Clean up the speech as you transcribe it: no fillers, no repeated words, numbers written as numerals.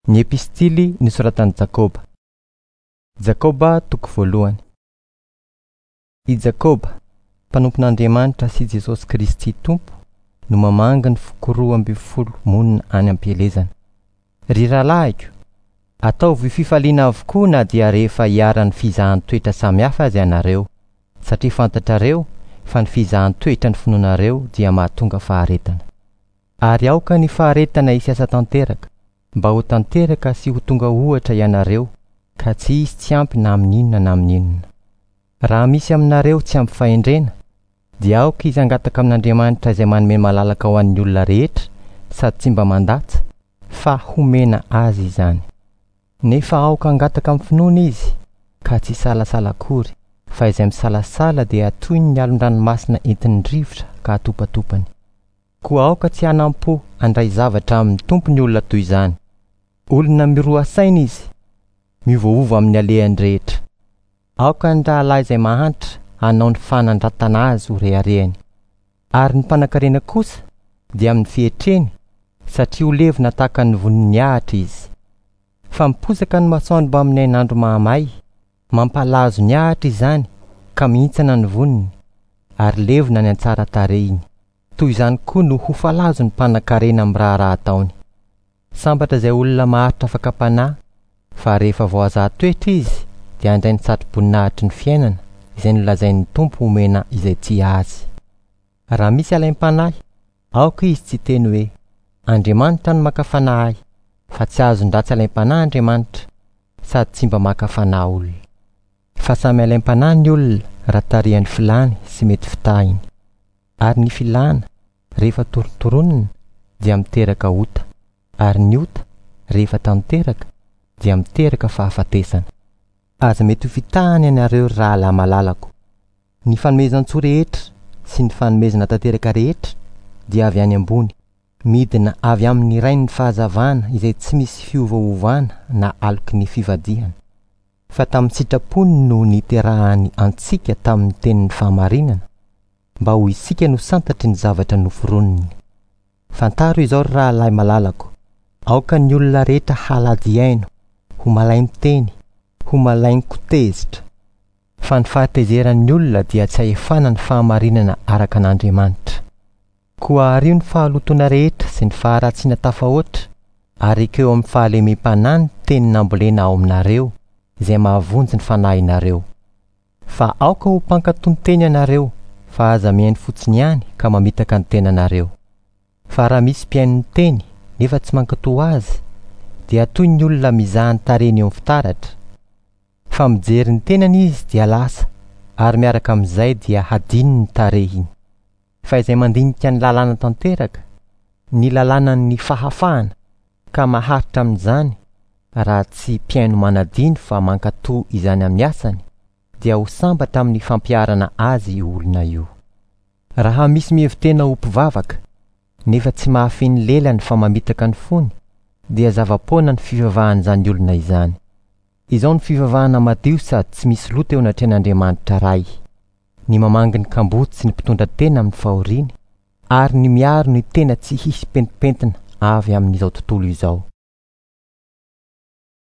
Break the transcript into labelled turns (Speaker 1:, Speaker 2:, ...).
Speaker 1: Ny Epistily nosoratan'i Jakoba. Jakoba toko voalohany. I Jakoba, mpanompon'Andriamanitra sy Jesosy Kristy Tompo, no mamangy ny foko 12 monina any am-pielezana. Ry rahalahiko, ataovy fifaliana avokoa na dia rehefa iharan'ny fizahan-toetra samihafa aza ianareo, satria fantatrareo fa ny fizahan-toetra ny finoanareo dia mahatonga faharetana. Ary aoka ny faharetana hisy asa tanteraka, mba ho tanteraka sy ho tonga ohatra ianareo, ka tsy hisy tsy ampy na amin'inona na amin'inona. Raha misy aminareo tsy ampy fahendrena, dia aoka izy hangataka amin'Andriamanitra izay manome malalaka ho an'ny olona rehetra sady tsy mba mandatsa, fa homena azy izany. Nefa aoka hangataka amin'ny finoana izy, ka tsy hisalasala akory, fa izay misalasala dia toy ny alon-dranomasina entin'ny rivotra ka atopatopany. Koa aoka tsy hanampo handray zavatra amin'ny Tompo ny olona toy izany. Olona miroa saina izy, miovaova amin'ny alehany rehetra. Aoka ny rahalahy izay mahantra hanao ny fanandratana azy ho reharehany. Ary ny mpanankarena kosa dia amin'ny fietreny, satria ho levona tahaka ny vonin'ny ahitra izy. Fa miposaka ny masoandro mbamin'ny hainandro mahamay, mampalazo ny ahitra izany ka mihintsana ny voniny, ary levona ny antsaran-tarehiny. Toy izany koa no ho falazo ny mpanankarena amin'ny raharaha ataony. Sambatra izay olona maharitra fakam-panahy, fa rehefa voazaha toetra izy dia handray ny satroboninahitry ny fiainana izay nolazain'ny Tompo homena izay tia azy. Raha misy alaim-panahy, aoka izy tsy hiteny hoe, Andriamanitra no maka fanahy ahy, fa tsy azon-dratsy alaim-panahy Andriamanitra, sady tsy mba maka fanahy olona. Fa samy alaim-panahy ny olona raha tarihan'ny filany sy mety fitahiny. Ary ny filana, rehefa torontoronina, dia miteraka ota, ary ny ota, rehefa tanteraka, dia miteraka fahafatesana. Aza mety ho fitahana ianareo ry rahalahy malalako. Ny fanomezan-tsoa rehetra sy ny fanomezana tanteraka rehetra dia avy any ambony, midina avy amin'ny Rain'ny fahazavana izay tsy misy fiovaovana na aloky ny fivadihana. Fa tamin'ny sitrapony no niterahany antsika tamin'ny tenin'ny fahamarinana, mba ho isika no santatry ny zavatra noforoniny. Fantaro izao ry rahalahy malalako, aoka ny olona rehetra halady hihaino, ho malain-teny, ho malain-kotezitra. Fa ny fahatezeran'ny olona dia tsy ahefana ny fahamarinana araka an'Andriamanitra. Koa ario ny fahalotoana rehetra sy ny faharatsiana tafahoatra, ary ekeo amin'ny fahalemem-panahy ny teny nambolena ao aminareo, izay mahavonjy ny fanahinareo. Fa aoka ho mpankatò ny teny ianareo, fa aza mihaino fotsiny ihany ka mamitaka ny tenanareo. Fa raha misy mpihaino ny teny, nefa tsy mankatò azy, dia toy ny olona mizaha ny tarehiny eo amin'ny fitaratra. Fa mijery ny tenany izy dia lasa, ary miaraka amin'izay dia hadino ny tarehiny. Fa izay mandinika ny lalàna tanteraka, ny lalànan'ny fahafahana, ka maharitra amin'izany, raha tsy mpihaino manadino fa mankatò izany amin'ny asany, dia ho sambatra amin'ny fampiharana azy io olona io. Raha misy mihevi-tena ho mpivavaka, nefa tsy mahafehy ny lelany fa mamitaka ny fony, dia zava-poana ny fivavahan'izany olona izany. Izao no fivavahana madio sady tsy misy loto eo anatrehan'Andriamanitra Ray, ny mamangy ny kamboty sy ny mpitondra tena amin'ny fahoriany, ary ny miaro ny tena tsy hisy pentimpentina avy amin'izao tontolo izao.